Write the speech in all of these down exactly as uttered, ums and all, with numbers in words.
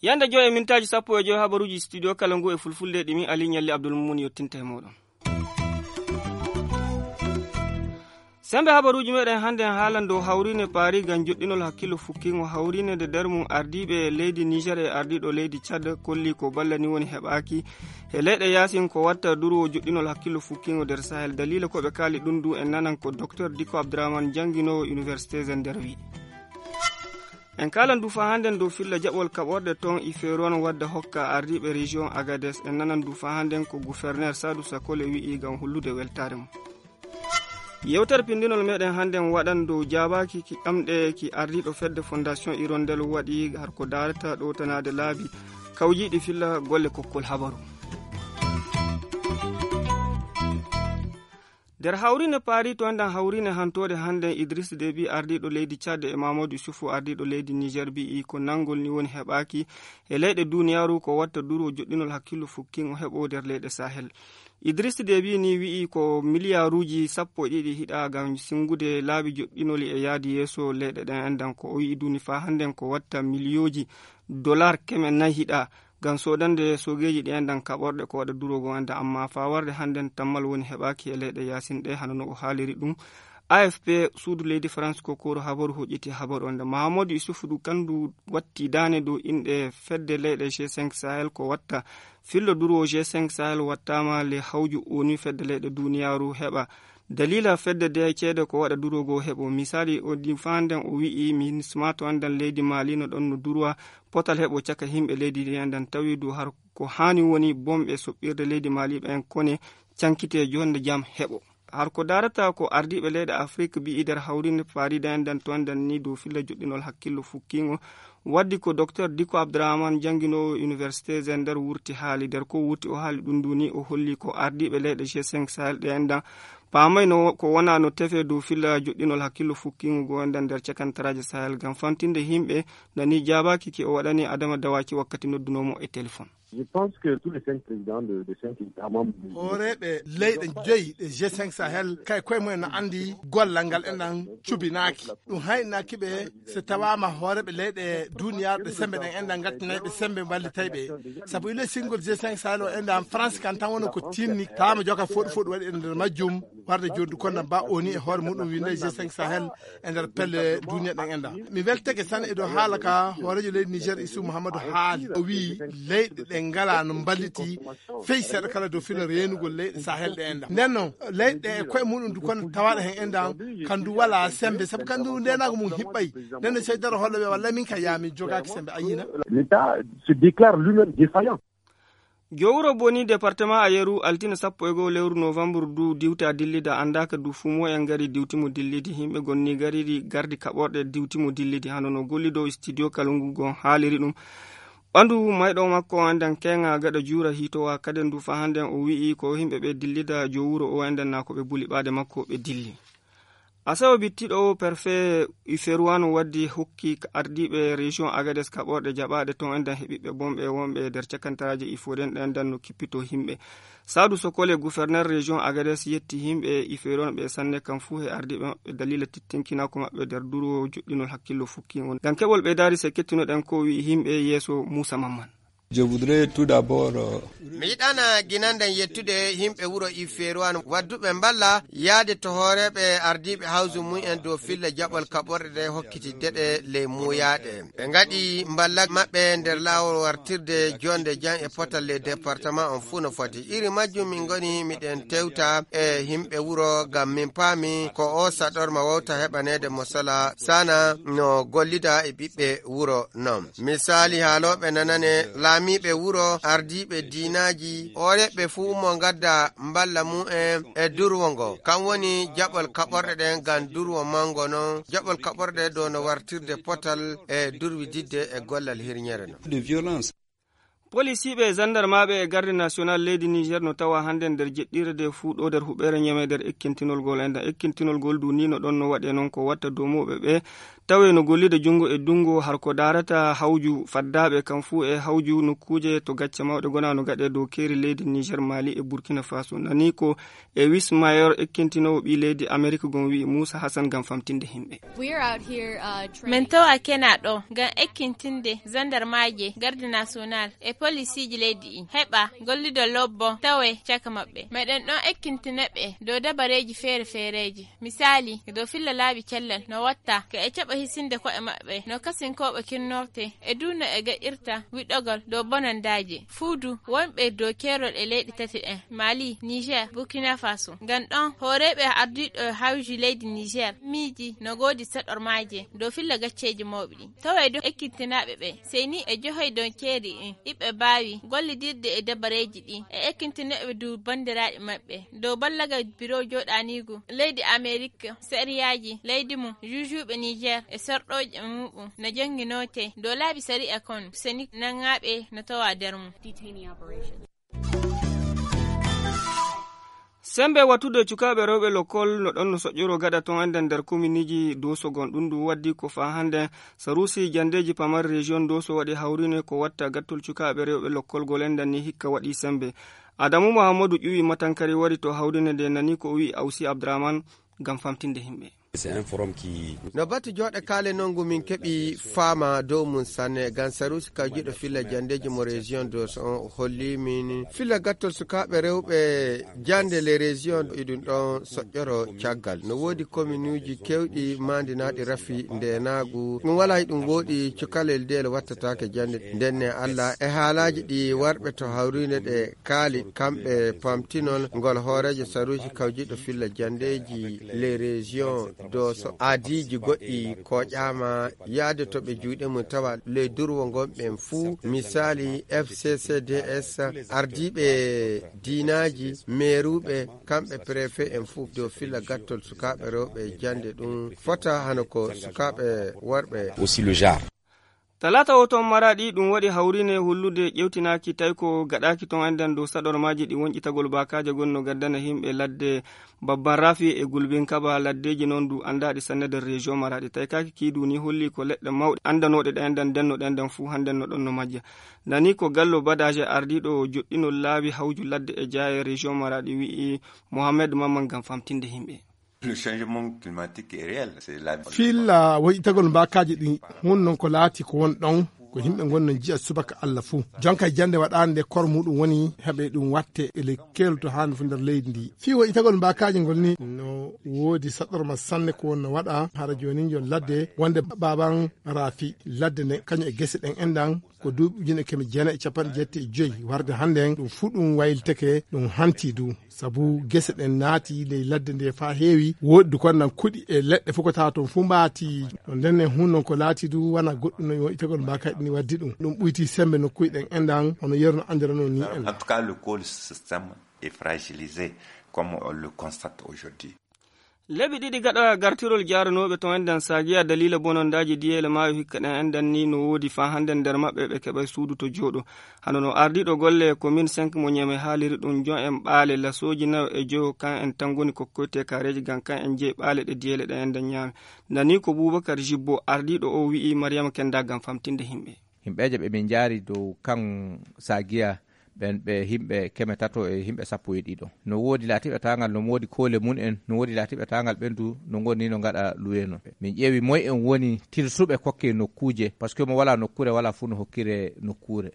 Yande joy e mintaaji sappo e joy, habaruuji studio kala ngu e fulfulde ɗi min Ali Ñalli Abdul Mumun yottinta e mooɗon. Sembe habaruuji meɗen hannde en haalan dow hawriine paari ngam joɗɗinol hakkillo fukkingo hawriine nde nder mum ardiiɓe leydi Niger e ardiiɗo leydi Tchad kolli ko ballani woni heɓaaki e leyɗe yaasin ko watta durwo joɗɗinol hakkillo fukkingo nder Sahel. Daliila ko ɓe kaali ɗum du en nanan ko Docteur Diko Abdourahmane jannginoowo Université Zender wi. En kaalan du faa hannden dow filla jaɓol kaɓorɗe toon Ifeeron wadda hokka ardiiɓe région Agadez. En nanan du faa hannden ko gouverneur Sadou Sakole wi'i ngam hollude weltaare mum. Yewtere pinndinol meɗen hannden waɗan dow jaabaaki ki ɗamɗe ki ardiiɗo fedde Fondation Hirondelle waɗi har ko daarata ɗowtanaade laabi kawjiiɗi filla golle kokkol habaru. Nder hawriine paari to enɗan hawriine hantoode hannden Idriss Déby ardiiɗo leydi Tchad e Mamadou Issoufou ardiiɗo leydi Niger mbi'i ko nanngol ni woni heɓaaki e leyɗe duuniyaaru ko watta durwo joɗɗinol hakkillo fukkin o heɓo nder leyɗe Sahel. Idriss Déby ni wi'i ko miliyaaruuji sappo e ɗiɗi hiɗa ngam sinngude laabi joɗɗinoli e yaadi yeeso leyɗe ɗen enɗan ko o wi'i duni faa hannden ko watta miliyooji dolar keme nayi hiɗa ngam soodande soogeeji ɗi enɗan kaɓorɗe ko waɗa durwo goo enɗan amma faa warde hannden tammal woni heɓaaki e leyɗe yaasin ɗe hano no o haaliri ɗum. A F P suudu leydi France ko koro habaru hoƴƴiti habaru on nde Mahamadou Issoufou du kandu watti daane dow inɗe fedde leyɗe G cinq Sahel ko watta fillo durwo G cinq Sahel wattaama le hawju onu fedde leyɗe duuniyaaru heɓa daliila fedde de ceede ko waɗa durwo goo heɓo. Misaali o di faa nden o wi'i MINUSMA to enɗan leydi Mali no ɗon no durwa potal heɓo caka himɓe leydi ndi enɗan tawi du har ko haani woni bomɓe soɓɓirde leydi Mali ɓen kone cankite jonde jam heɓo. Har ko daarata ko ardiiɓe leyɗe Afrik mbi'i nder hawriinde paari ɗen ɗan to enɗan ni dow filla joɗɗinol hakkillo fukkingo. Waddi ko Docteur Diko Abdourahmane jannginoowo Université Zender wurti haali. Nder ko wurti o haali ɗum ndu ni o holli ko ardiiɓe leyɗe G cinq Sahel ɗe enɗan paamay no ko wona no tefe dow filla joɗɗinol hakkillo fukkingo goo enɗan nder cakantaraaji Sahel ngam fantinde himɓe nani jaabaaki ki o waɗani Adama Dawaki wakkati noddunoo mo e telefon. Je pense que tous les cinq présidents de, de cinq États membres du Hooreeɓe leyɗe joyi ɗe G cinq Sahel kay koye mumen no anndi gollal ngal enɗan cubinaaki. Ɗum haynaaki ɓe so tawaama hooreeɓe leyɗe duuniyaaru ɓe semmbe ɗen enɗan ngattinay ɓe semmbe mballitay ɓe. Sabu ile sinngol G cinq Sahel o enɗan France kan tan woni ko tinni tawaama joka foɗu foɗu waɗi e nder majjum. Warde joddu konda ba oni e hoore muɗum winde G cinq Sahel e nder pelle duniya ɗen enɗan. Mi weltake tan e dow haala ka hooreejo leydi Niger Issoufou Mouhamadou haali. O wi'i leyɗe ɗe ngala no mballiti fey seeɗa kala dow filo reenugol leyɗe Sahel ɗe enɗan. Nden non leyɗe ɗe e koye muɗum du kono tawaɗo hen enɗan kan du wala sembe sabu kan du ndenago mum hiɓɓay. Nden non seydaro holla ɓe walla min ka yaami jogaaki sembe a yina. L'État se déclare lui-même défaillant. Jowuro Boni département Ayeru altine sappo e goo lewru novembre du diwta dillida anndaka du fuu moyen ngari diwti mo dillidi himɓe gonni garidi gardi kaɓorɗe diwti mo dillidi hano no golli dow studio kalungu gon haaliri ɗum. Ɓandu mayɗo makko o enɗan keŋa gaɗa juura hiitowa kaden du fa hannden o wi'i ko himɓe ɓe dillida jowuro o enɗan na ko ɓe buli ɓaade makko ɓe dilli. Asawe bittiɗo o, perfe Iferuwano waddi hokki ardiiɓe région Agades kaɓorɗe jaɓaaɗe ton enɗan heɓiɓɓe bonɓe wonɓe nder cakantaraaji Iforen ɗe enɗan no kippito himɓe. Saadu Sokole, gouverneur région Agades, yetti himɓe Iferuwano ɓe sanne kam fuu he ardiiɓe maɓɓe daliila tittinkinaaku maɓɓe nder durwo joɗɗinol hakkillo fukki on. Ngam keɓol ɓeydaari se kettunoɗen ko wi'i himɓe yeeso Muusa Mamman. Je voudrais tout d'abord, euh, Mi yiɗana ginanɗen yettude yimɓe wuro Ifeeruwan wadduɓe mballa yaade to hooreeɓe ardiiɓe hawsu mum en dow filla jaɓol kaɓorɗe ɗe hokkitidde ɗe ley muuyaaɗe. Ɓe ngaɗi mballa maɓɓe nder laawol wartirde jonde jam e potal ley département on fuu no foti. Iri majjum min ngoni miɗen tewta e yimɓe wuro ngam min paami ko o saɗorma wawta heɓaneede mo sala sana no gollida e ɓiɓɓe wuro non. Misaali haalooɓe nanane, laamiiɓe wuro, ardiiɓe diinaaji, hooreeɓe fuu mo ngadda mballa mum en e durwo ngo. Kam woni jaɓol kaɓorɗe ɗen ngam durwo manngo non, jaɓol kaɓorɗe dow no wartirde potal e durwididde e gollal hirñere non. De violence. Polisiiɓe e zandarmaaɓe e garde national leydi Niger no tawa hannde nder jeɗɗirde fuu ɗo nder huɓeere Ñeme nder ekkintinol gol. Enda ekkintinol gol du ni no ɗon no waɗe noon ko watta domooɓe ɓe tawe no gollida junngo e dunngo har ko daarata hawju faddaaɓe kam fuu e hawju nokkuuje to gacce mawɗe gona no gaɗe dow keeri leydi Niger, Mali e Burkina Faso. Nani ko e Wismayor ekkintinoowo ɓii leydi Amerik gon wi'i Muusa Hasan ngam famtinde himɓe. Min tawa kena ɗo ngam ekkintinde zandarmaaje, garde national e polisiiji leydi ɗi heɓa gollido lobbo tawe caka maɓɓe. Meɗen ɗon ekkintina ɓe dow dabareeji feere-feereeji. Misaali, dow filla laabi cellal no watta ka e caɓa hisinde ko'e maɓɓe no kasinkooɓe kinnorte e du no e gaɗirta wiɗogol dow bonandaaje. Fuudu wonɓe dow keerol e leyɗe tati ɗen, Mali, Niger, Burkina Faso. Ngam ɗon hooreeɓe ardiiɗo hawji leydi Niger miiji no goodi saɗormaaje dow filla gacceeji mawɓe ɗin. Taway dow ekkintinaaɓe ɓe, sey ni e johoy dow keeri ɗin, iɓe baawi gollidirde e dabareeji ɗin e ekkintinooɓe du banndiraaɓe maɓɓe dow ballagal biro jooɗaniigu leydi Amerik, sariyaaji leydi mum, juujuuɓe Niger e sorɗooɓe muɓum no jonnginoote dow laabi sariya kon, seni nangaaɓe no tawa nder mum. Sembe wattude cukaaɓe rewɓe lokol no ɗon no soƴƴoro gaɗa ton enden nder kominiji Doso gon. Ɗum ɗum waddi ko faa hannde Sarusi jandeeji pamar région Doso waɗi hawrine ko watta gattol cukaaɓe rewɓe lokol gol enden ni hikka waɗi sembe. Adamu Muhammadu ƴuwi matankari wari to hawrine nde nani ko o wi'i Ausi Abdraman ngam famtinde himɓe. No batu jooɗe kaale nongu min keɓi faama dow mum sanne. Gam Sarusi kawjiɗo filla jandeeji mo région Doso on holli min filla gattol sukaaɓe rewɓe jande les régions iɗum ɗon soƴƴoro caggal. No woodi kominuuji kewɗi maandinaaɗi rafi ndeenaagu. Ɗum walaa e ɗum wooɗi cukalel ndeel wattataake jande. Ndenne Allah e haalaaji ɗi warɓe to hawriinde ɗe kaali kamɓe pamtinol ngol hooreejo saruuji kawjiɗo filla jandeeji les régions Doso. Aadiiji goɗɗi kooƴaama yaade to ɓe juuɗe mum tawa ley durwo ngon ɓen fuu. Misaali F C C D S, ardiiɓe diinaaji, meeruuɓe, kamɓe préfet en fuu dow filla gattol sukaaɓe rewɓe jande ɗum fota hano ko sukaaɓe worɓe. Aussi le genre. Talaata o toon Maraɗi ɗum waɗi hawrine hullude ƴewtinaaki tawi ko gaɗaaki toon enden dow saɗormaaji ɗi wonƴitagol baakaaje gonno gaddana yimɓe ladde Babban Rafi e Gulbin Kaba laddeeji noon du anndaaɗi sanne nder région Maraɗi. Tawi kaaki kii du ni holli ko leɗɗe mawɗe anndanooɗe ɗe enden ndenno ɗe enden fuu hannden no ɗon no majja. Nani ko Gallo Badaje ardiiɗo joɗɗinol laabi hawju ladde e jaaye région Maraɗi wi'i Mohamed Mamman ngam famtinde yimɓe. Le changement climatique est réel. C'est la Filla woyitagol mbaakaaji ɗi hun non ko laati ko won ɗon ko yimɓe ngonno jiya subaka Allah fuu. Jonka e jannde waɗaande nde kor muɗum woni heɓe ɗum watte e le keelto haa no fu nder leydi ndi. Fii woyitagol mbaakaaji ngol ni no woodi saɗɗorma sanne ko wonno waɗa hara jooni njon ladde wonde baban raafi ladde nde kañum e gese ɗen enɗan ko duuɓi ujune keme jeenayi e capanɗe jeetati e joyi warde hannde en ɗum fuu ɗum waylitake ɗum hanti du. Sabu gese ɗen naati ley ladde nde faa heewi, woɗɗi kon nan kuɗi e leɗɗe fof ko tawa toon fuu mbaati. No nden en hun non ko laati du wana goɗɗum no itagol mbaakaaji ɗin waddi ɗum. Ɗum ɓuyti sembe nokkuuji ɗen enɗan hono yeru no anndirano ni en. En tout cas, le col système est fragilisé, comme on le constate aujourd'hui. Leɓi ɗiɗi gaɗa gartirol jaaranooɓe to enɗan Sagiya daliila bonondaaji diyeele maayo hikka ɗen enɗan ni no woodi faa hannden nder maɓɓe ɓe keɓay suudu to jooɗo. Hano no ardiiɗo golle commune cinq mo Ñeme haaliri ɗum, jon en ɓaale lasooji nayo e joyo kan en tan ngoni kokkoyte kaareeji ngam kan en jeyi ɓaale ɗe diyeele ɗe enɗan ñaami. Nani ko Bubakar Jibbo ardiiɗo o wi'i Mariyama Kenda ngam famtinde yimɓe. Yimɓeeje ɓe min njaari dow kan Sagiya ɓen ɓe yimɓe keme tato e yimɓe sappo e ɗiɗo. No woodi laatiiɓe taangal no woodi koole mum en, no woodi laatiiɓe taangal ɓen du no ngoni no ngaɗa luwe non. Min ƴeewi moy en woni tilsuɓe kokke nokkuuje, parce que mo walaa nokkuure walaa fuu no hokkire nokkuure.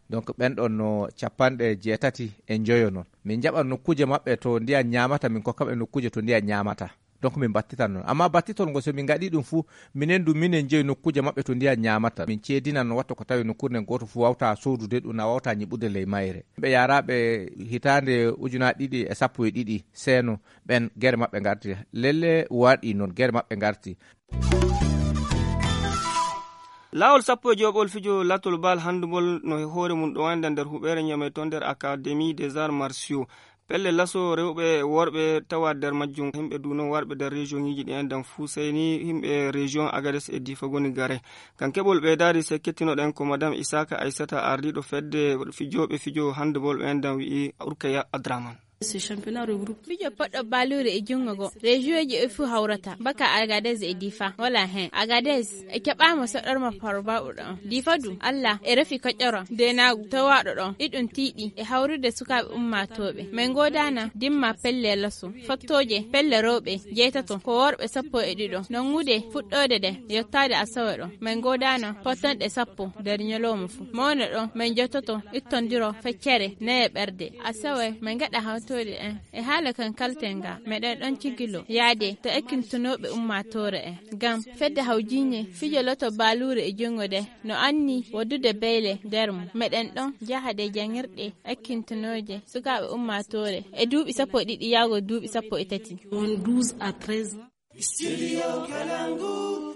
Donc ɓen ɗon no capanɗe jeetati e njoyo non. Min njaɓan nokkuuje maɓɓe to ndiyan ñaamata, min kokkaɓe nokkuuje to ndiyan ñaamata. Donc min battitan non. Amma battitol ngol so min ngaɗi ɗum fuu, minen du minen jeyi nokkuuje maɓɓe to ndiyan ñaamata. Min ceedinan no watta ko tawi nokkuure nden gooto fuu wawta soodude ɗum, na wawta ñiɓude ley mayre. Ɓe yaraɓe hitaande ujunaaji ɗiɗi e sappo e ɗiɗi seeno ɓen gere maɓɓe ngarti. Lelle waɗi non gere maɓɓe ngarti. Laawol sappo e joɓol fijo latol bal handball no e hoore mum ɗo wayda nder huɓeere Ñame to nder Académie des Arts Martiaux. Pelle laso rewɓe e worɓe tawa nder majjum. Yimɓe du noon warɓe nder région ŋiiji ɗi enɗan fuu, sey ni yimɓe région Agadez e Difa ngoni gare. Ngam keɓol ɓeydaari, sey kettinoɗen ko Madame Isaka Aissata, ardiiɗo fedde fijooɓe fijo handball ɓe enɗan, wi'i Urkaya Adraman. Fijo poɗɗo baaluure e junngo ngo, rejiyoji e fuu hawrata, baka Agadez e Difa, wala heen. Agadez e keɓaama soɗorma farbaɓuɗo on. Difa du, Allah e refi koƴƴoram deenaagu towaaɗo ɗon. Iɗum tiiɗi e hawrude sukaaɓe ummaatooɓe. Min ngoodaana dimma pelle laso, fottooje pelle rewɓe jeetato, ko worɓe sappo e ɗiɗo. Nanngude fuɗɗoode ɗe yottaade asawe ɗo, min ngoodaana pottanɗe sappo nder ñalawma fuu. Mawne ɗo, min jottoto ittondiro feccere neye ɓerde. Asawe, min ngaɗa hawtoyde en. E haala kan kalten ga, meɗen ɗon cigilo yaade to ekkintonooɓe ummaatoore en. Ngam fedde hawjiine fijo loto baaluure e junngo de no anni woddude beyle nder mum. Meɗen ɗon jahade janngirɗe ekkintonooje sukaaɓe ummaatoore e duuɓi sappo e ɗiɗi yaago duuɓi sappo e tati. Won douze à treize ans. Studio Kalangu.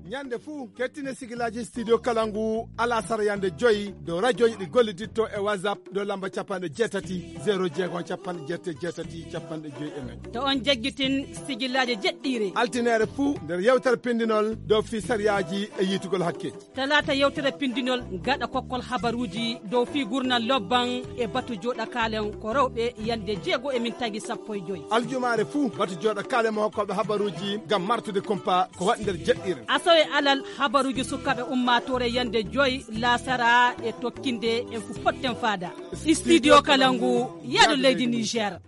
Ñande fuu, kettine sigilaaji Studio Kalangu, alasara yande joyi, dow rajooji ɗi golliditto e WhatsApp, dow lamba capanɗe jeetati, zéro jeego, capanɗe jeetati, capanɗe joyi e nayi. To on jaggitin sigilaaji jeɗɗiire. Altineere fuu, nder yewtere pindinol dow fii sariyaaji e yiitugol hakke. Talaata yewtere pindinol gaɗa kokkol habaruuji dow fii gurnal lobban e batu jooɗakaalen ko rewɓe yande jeego e min tagi sappo e joyi. Aljumaare fuu batu jooɗakaalen mo hokkooɓe habaruuji ngam martude kumpa ko waɗi nder jeɗɗiire. Asawe alal habaruuji sukaaɓe ummaatoore yande joyi laasara e tokkinde en fu potten faada. Studio Kalangu, yaadu leydi Niger.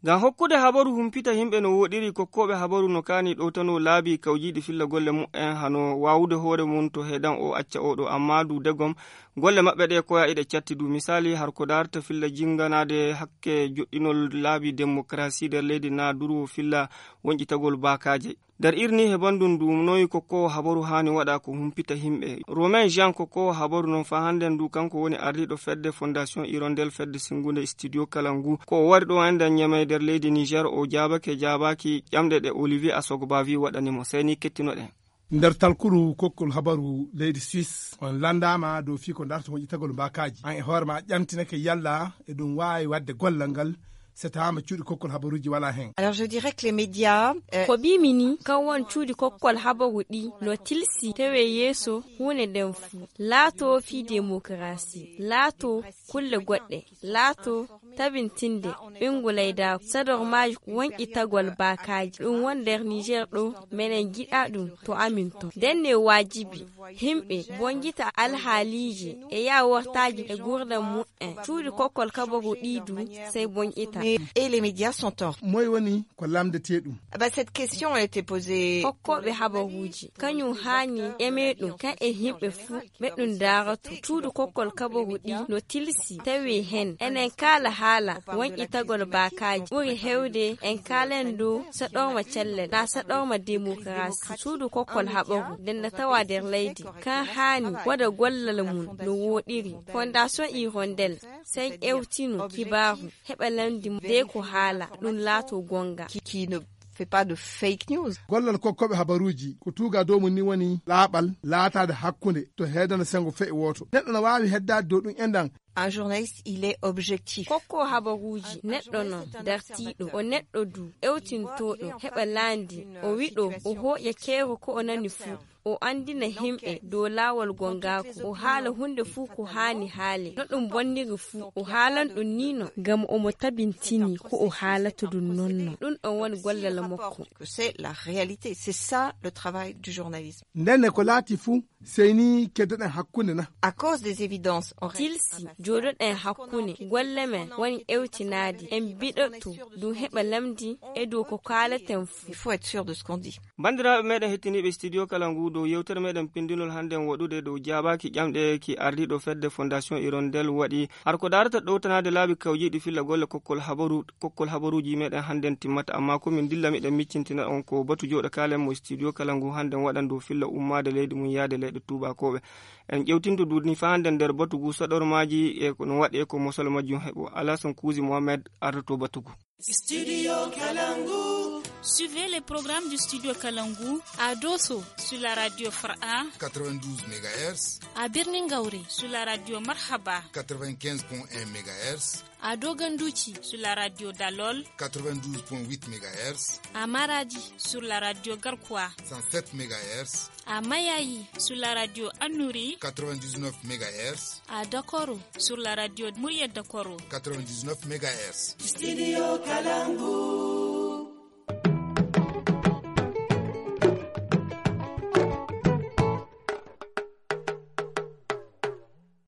Ngam hokkude habaru humpita yimɓe no wooɗiri, kokkooɓe habaru no kaani ɗowtano laabi kawjiiɗi filla golle mu'en, hano waawude hoore mum to heedan o acca oɗo, amma du degom golle maɓɓe ɗe koya iɗe catti du. Misaali, har ko daarta filla jinganaade hakke joɗɗinol laabi demokarasi nder leydi na durwo filla wonƴitagol baakaaje. Nder irni he banndum ndu noyi kokkoowo habaru haani waɗa ko humpita yimɓe. Romain Jean kokkoowo habaru noon faa hannden ndu kanko woni ardiiɗo fedde Fondation Hirondelle fedde sinngunde Studio Kalangu. Ko o wari ɗo enɗan Ñamey nder leydi Niger, o jaabake jaabaaki ƴamɗe ɗe Olivier Asogbavi waɗani mo. Sey ni kettinoɗen. Nder talkuru kokkol habaru leydi Suisse, on lanndaama dow fii ko darta moƴƴitagol mbaakaaji. An e hoore ma ƴamtinake yalla e ɗum waawi waɗde gollal ngal so tawaama cuuɗi kokkol habaruuji walaa heen. Alors, je dirais que les médias, euh, ko mbiimi ni, kan won cuuɗi kokkol habaru ɗi no tilsi tewee yeeso huunde nden fuu. Laatoo fii demokarasi, laatoo kulle goɗɗe, laatoo tabintinde ɓinngu laydaaku, sadormaaji wonƴitagol baakaaji. Ɗum won nder Niger ɗo, menen njiɗaa ɗum to amin ton. Nden ne waajibi yimɓe bonjita alhaaliiji e yaawortaaji e nguurndam mumen. Cuuɗi kokkol kabaru ɗii du sey bonƴita. Et les médias sont en. Moy woni ko lamndeteeɗum? Ah bah, cette question a été posée. Kokkooɓe habaruuji, kañum haani ƴamee ɗum, kan e yimɓe fuu ɓe ɗum daarato. Cuuɗi kokkol kabaru ɗii no tilsi, tawi heen enen kaala haala wonƴitagol baakaaji ɓuri heewde en kaalen dow saɗorma cellal, naa saɗorma demokarasi. Cuuɗi kokkol habaru nden na tawa nder leydi, kan haani waɗa gollal mum no wooɗiri. Fondation Hirondelle sey ƴeewtino kibaaru, heɓa lamndi de ko haala, ɗum laato gonga. Qui, qui ne fait pas de fake news. Gollal kokkooɓe habaruuji, ko tuuga dow mum ni woni laaɓal, laataade hakkunde, to heedana senngo feƴƴo wooto. Neɗɗo no waawi heddaade dow ɗum enɗan. Un journaliste, il est objectif. Kokkoowo habaruuji, neɗɗo non, dartiiɗo, o neɗɗo du, ƴeewtintooɗo, heɓa laandi, o wiɗo, o hooƴa keeru ko o nani fuu. O anndina yimɓe dow laawol gongaaku, o haala huunde fuu ko haani haale. No ɗum bonniri fuu, o haalan ɗum nii non, ngam omo tabintini ko o haalata ɗum non non. Ɗum ɗon woni gollal makko. Que c'est la réalité, c'est ça le travail du journalisme. Ndenne ko laati fuu, sey ni keddoɗen hakkunde na? À cause des évidences, on reste. Tilsi, jooɗoɗen hakkunde, golle men woni ƴeewtinaade, en mbiɗoto ɗum heɓa lamndi e dow ko kaalaten fuu. Il faut être sûr de ce qu'on dit. Banndiraaɓe meɗen hettiniiɓe studio kala ngu, dow yewtere meɗen pindinol hannden waɗude dow jaabaaki ƴamɗe ki ardiiɗo fedde Fondation Hirondelle waɗi. Har ko daarata ɗowtanaade laabi kawjiiɗi filla golle kokkol habaru, kokkol habaruuji meɗen hannden timmata, amma ko min dilla miɗen miccintina on ko batu jooɗo kaalen mo studio kala ngu hannden waɗan dow filla ummaade leydi mum yaade leyɗe tuubakooɓe. En ƴewtinto duudni faa hannden nder batu ngu saɗormaaji e ko no waɗi e ko mosol majjum heɓo. Alasan Kuusi Mohamed ardoto batu ngu. Studio Kalangu. Suivez les programmes du Studio Kalangu à Dosso sur la radio Fara quatre-vingt-douze mégahertz, à Birningaure sur la radio Marhaba quatre-vingt-quinze point un mégahertz, à Doganduchi sur la radio Dalol quatre-vingt-douze point huit mégahertz, à Maradi sur la radio Garkwa cent sept mégahertz, à Mayayi sur la radio Annuri quatre-vingt-dix-neuf mégahertz, à Dakoro sur la radio Mouya Dakoro quatre-vingt-dix-neuf mégahertz. Studio Kalangu.